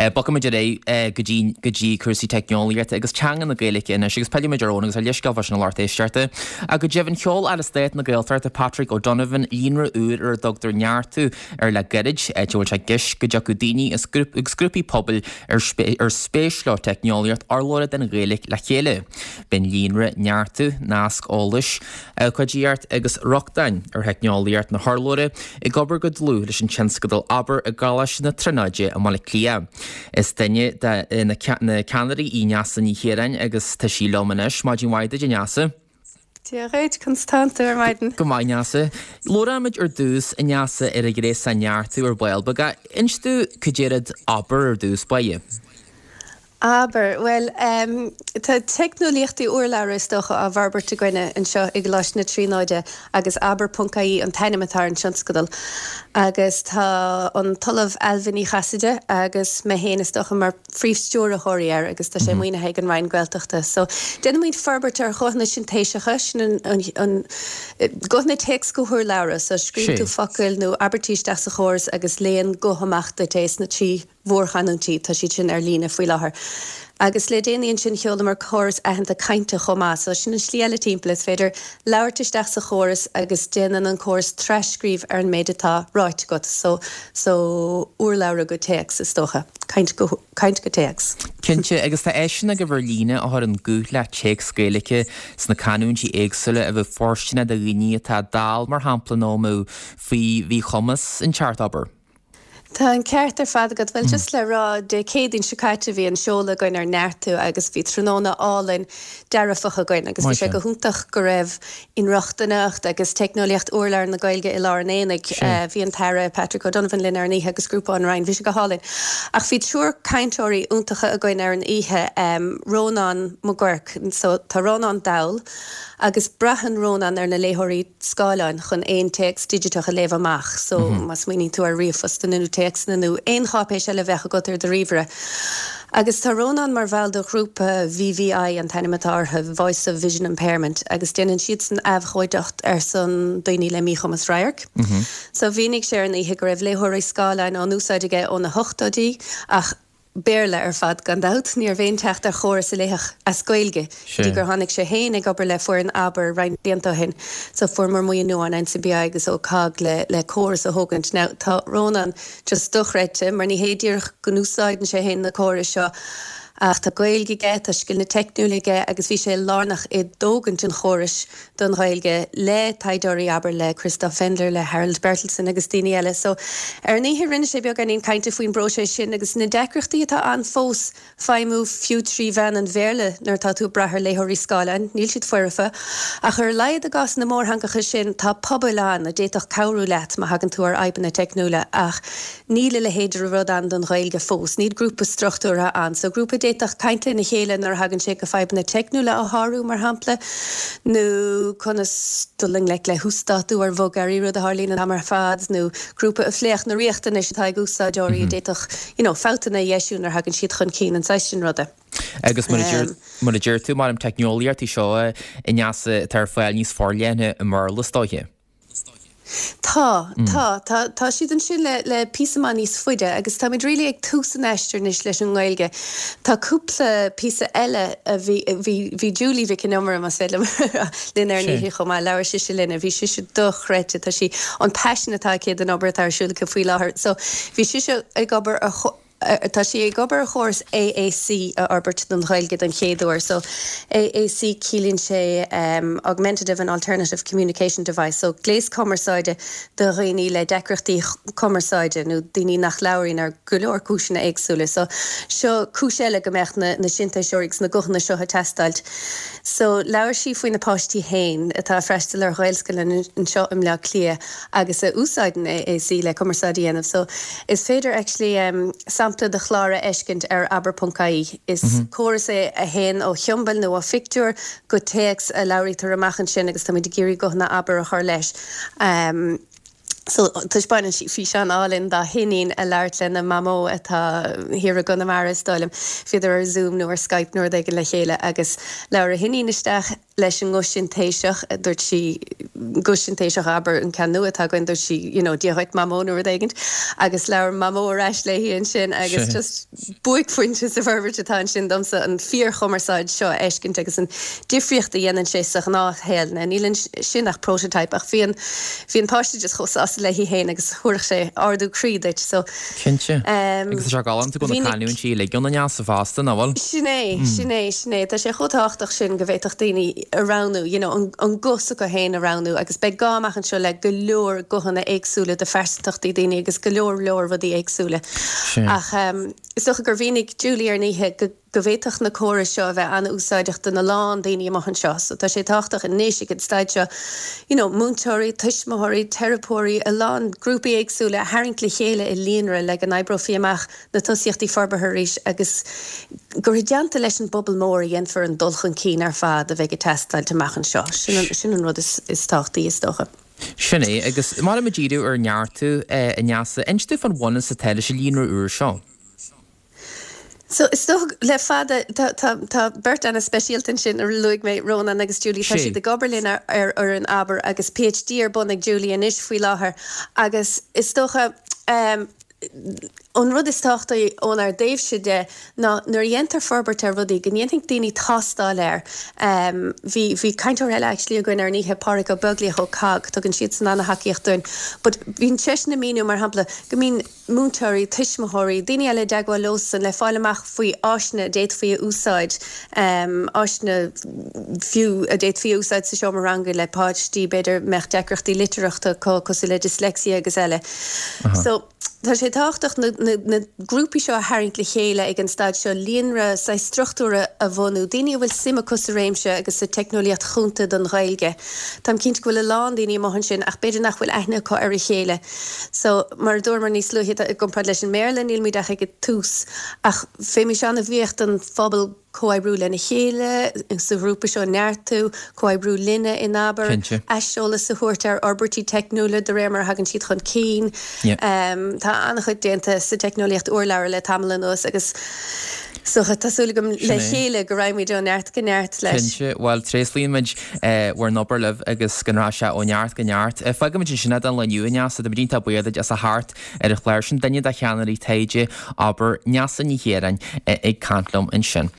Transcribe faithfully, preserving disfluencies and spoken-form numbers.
Bogfaimid ar aghaidh go dtí go dtí cúrsaí teicneolaíochta agus teanga na Gaeilge anois agus pillfimid ar Eoin agus ar leithscéal fá sin a lucht éisteachta. Ach go deimhin sheol Aire Stáit na Gaeltachta Patrick O'Donovan líonra úr ar a dtugtar Neartú air le gairid, áit a bhfuil sé i gceist go dtiocfadh daoine agus grúpaí pobail ar ar spéis leo teicneolaíocht urlabhra don Ghaeilge le chéile. B'in líonra Neartú, nasc eolais, ócáidíocht agus rochtain ar theicneolaíocht na hurlabhra ag obair go dlúth leis an tionscadal Abair i gColáiste na Tríonóide i mBaile Átha Cliath. Is duine de na ceannairí í Neasa Ní Chiaráin agus tá sí liom anois. Maidin mhaith duit, a Neasa. Dia dhuit, conas tánn tú ar maidin. Go maith, Neasa. Labhróimid ar dtús, a Neasa, ar an ghréasán Neartú ar ball beag. Inis domh cad é rud Abair ar dtús báire. Abair, bhuel, tá teicneolaíochtaí urlabhra is dócha á bhforbairt againne anseo i gColáiste na Tríonóide agus abair ponc ie an t-ainm atá ar an tionscadal. Agus tá an tOllamh Ailbhe Ní Chasaide agus mé féin is dócha mar phríomhstiúrthóirí air agus tá sé maoinithe ag an Roinn Gaeltachta. So déanaimid forbairt ar ghuthanna sintéiseacha, sin an, an, an guthanna téacs go hurlabhra, so scríobhann tú focail nó abairtí isteach sa chóras agus léann guth amach duit é sna trí mhórchanúintí, tá siad sin ar líne faoi láthair. Agus le déanaí ansin sheolamar córas aitheanta cainte chomh maith, so sin an slí eile timpeall, is féidir labhairt isteach sa chóras agus déanann an córas tras-scríobh ar an méid atá ráite agat, so so urlabhra go téacs is dócha, caint go caint go téacs. Cinnte, agus tá áiseanna agaibh ar líne a chuireann guth le téacs Gaeilge sna canúintí éagsúla a bheadh fóirsteanach do dhaoine atá dall mar shampla nó a mbeadh faoi mhíchumas an ceart abair. Tá an ceart ar fad agat. Bhuel, just le rá, Dé Céadaoin seo caite bhí an seoladh againn ar Neartú agus bhí tráthnóna álainn dearfach againn agus bhí sé go hiontach go raibh inrochtaineacht agus teicneolaíocht urlabhra na Gaeilge i lár an aonaigh. Bhí an tAire Patrick O'Donovan linn ar an oíche agus grúpa ón Roinn. Bhí sé go hálainn. Ach bhí triúr cainteoirí iontacha againn ar an oíche, Rónán Mac Guairc, so tá Rónán dall agus braitheann Rónán ar na léitheoirí scáileáin chun aon téacs digiteach a léamh amach. So má smaoiníonn tú ar ríomhphostanna nó téacsanna nó aon cháipéis eile a bheadh agat ar do ríomhaire. Agus tá Rónán mar bhall de ghrúpa V V I an t-ainm atá orthu, Voice of Vision Impairment, agus déanann siadsan abhcóideacht ar son daoine le míchumas radhairc. So mhínigh sé ar an oíche go raibh léitheoirí scáileáin á n-úsáid aige ó na hochtóidí ach Béarla ar fad gan dabht, ní raibh aon teacht ar chóras a léifeadh as Gaeilge go dtí gur tháinig sé féin ag obair le foireann Abair roinnt blianta ó shin. So fuaireamar maoiniú ón N C B I agus ó cogg le le córas a thógaint. Now tá Rónán just dochreidte mar ní hé díreach go n-úsáideann sé féin na córais seo ach tá Gaeilge aige, tá scileanna teicniúla aige agus bhí sé lárnach i dtógaint an chórais don Ghaeilge le taighdeoirí, abair, le Christoph Fendler, le Harald Berthelsen agus daoine eile. So, ar an oíche rinne sé beagáinín cainte faoin bpróiseas sin agus na deacrachtaí atá ann fós feidhmiú fiú trí mheán an Bhéarla nuair atá tú ag brath ar léitheoirí scáileáin. Níl siad foirfe. Ach ar a laghad i gcás na mórtheangacha sin tá pobail ann a d'fhéadfadh cabhrú leat má thagann tú ar fhadhbanna teicniúla ach níl a leithéid de rud ann don Ghaeilge fós. Níl grúpa struchtúrtha ann. So grúpa a d'fhéadfadh caint lena chéile nuair a thagann sé go fadhbanna teicniúla a shárú, mar shampla, nó conas dul i ngleic le huasdátú ar bhogearraí, rud a tharlaíonn an t-am ar fad, nó grúpa a phléifeadh na riachtanais atá ag úsáideoirí a d'fhéadfadh you know fabhtanna a dheisiú nuair a thagann siad chun cinn, an saghas sin ruda. Agus mar a deir tú, mar na teicneolaíochtaí seo a Neasa atá ar fáil níos forleithne i mBéarla is dóiche. Tá, tá, tá, tá siad ansin le le píosa maith níos faide agus táimid really ag tús an aistir anois leis an nGaeilge. Tá cúpla píosa eile a bhí bhí bhí Julie Mhic an Iomaire, más féidir liom linn ar an oíche chomh maith, labhair sise linn, bhí sise dochreidte, tá sí an paisean atá aici don obair atá ar siúl aici faoi láthair. So bhí sise ag obair ar tá sí ag obair ar chóras A A C a fhorbairt don Ghaeilge don chéad uair. So A A C ciallaíonn sé um, Augmentative and Alternative Communication Device, so gléas cumarsáide do dhaoine le deacrachtaí cumarsáide nó daoine nach labhraíonn ar go leor cúiseanna éagsúla. So seo cúis eile go mbeadh na, na sintéiseoirí agus na guthanna seo ag teastáil. So labhair sí faoi na páistí féin atá ag freastal ar Ghaelscoil anseo i mBleá Cliath agus a úsáideann A A C le cumarsáid a dhéanamh. So is féidir actually um, sampla de chlár a fheiscint ar abair ponc I E. Is mm -hmm. córas é a théann ó shiombail nó ó phictiúr go téacs a labhraítear amach ansin agus táimid ag iarraidh guthanna Abair a chur leis. Um, So taispeánann sí físeán álainn dá hiníon ag labhairt lena mamó atá thiar i gConamara is dóigh liom. Bhíodar ar Zoom nó ar Skype nó rud éigin le chéile agus labhair a hiníon isteach leis an nguth sintéiseach, dúirt sí guth sintéiseach abair an ceann nua atá againn, dúirt sí you know Dia dhuit mamó nó rud éigin agus labhair mamó ar ais léi ansin agus just buaicphointe sa bhforbairt atá ansin domsa an fíorchumarsáid seo a fheiscint agus an difríocht a dhéanann sé sa ghnáthshaol. Now níl ansin ach prototype ach bhí an bhí an páiste just chomh sásta léi féin agus thabharfadh sé ardú croí duit so Cinnte. Agus tá sé galánta go bhfuil na canúintí uilig ann a Neasa fosta, nach bhfuil? Sin é, sin é, sin é. Tá sé chomh tábhachtach sin go bhféadfadh daoine a roghnú, you know, an an guth s'acu féin a roghnú agus beidh gá amach anseo le go leor guthanna éagsúla de phearsantachtaí daoine agus go leor leor rudaí éagsúla. Ach is dócha gur mhínigh Julie ar an oíche go go bhféadfadh na córais seo a bheith an-úsáideach do na lán daoine amach anseo. So tá sé tábhachtach anois ag an staid seo, you know, múinteoirí, tuismitheoirí, teiripeoirí, a lán grúpaí éagsúla a tharraingt le chéile i líonra le go n-oibreofaí amach na tosaíochtaí forbartha arís agus gur i dteannta leis an bpobal mór a dhéanfar an dul chun cinn ar fad a bheidh ag teastáil amach anseo. Sin an, sin an rud is, is tábhachtaí is dócha. Sin é, agus mar a díriú ar Neartú a Neasa, inis dúinn fán bhunús atá leis an líonra úr seo. So is dócha le fada tá tá tá beirt an-speisialta ansin a luaigh mé Rónán agus Julie tá siad ag obair linn ar ar fhoireann Abair agus PhD ar bun ag Julie anois faoi láthair agus is dócha um, an rud is tábhachtaí ónár dtaobhse de ná nuair a dhéantar forbairt ar rudaí go ndéanfaidh daoine tástáil air. Um, bhí bhí cainteoir eile actually againn ar an oíche Pádraig Ó Beaglaoich ó COGG, tugann siadsan an-tacaíocht dúinn. But bhíonn seisean ag míniú mar shampla go mbíonn múinteoirí, tuismitheoirí, daoine eile i dteagmháil leosan le fáil amach faoi áiseanna a d'fhéadfaí a úsáid, um, áiseanna fiú a d'fhéadfaí a úsáid sa seomra ranga le páistí b'fhéidir mbeadh deacrachtaí litearthachta cosúil le dyslexia agus eile. So tá sé tábhachtach na, na, na grúpaí seo a tharraingt le chéile ag an staid seo líonra saghas struchtúra a bhunú, daoine a bhfuil suim acu sa réimse agus sa teicneolaíocht chúnta don Ghaeilge. Táim cinnte go bhfuil a lán daoine amuigh ansin ach b'fhéidir nach bhfuil aithne acu ar a chéile. So mar a dúramar níos luaithe i gcomparáid leis an mBéarla nílmuid ach ag an tús ach bheimis an-bhuíoch don phobal comhoibriú lena chéile sa ghrúpa seo Neartú, comhoibriú linne in Abair, aiseolas a thabhairt ar fhorbairtí teicniúla de réir mar a thagann siad chun cinn. Um, tá an-chuid déanta sa teicneolaíocht urlabhra le tamall anuas agus so tá súil agam le chéile go raghaimid ó neart go neart leis. Cinnte, bhuel tréaslaíonn muid bhur n-obair libh agus go rachaidh sé ó neart go neart. Fágfaimid ansin é don lá inniu a Neasa, táimid iontach buíoch duit as a theacht ar an chlár sin duine de cheannairí taighde Abair Neasa Ní Chiaráin ag caint liom ansin.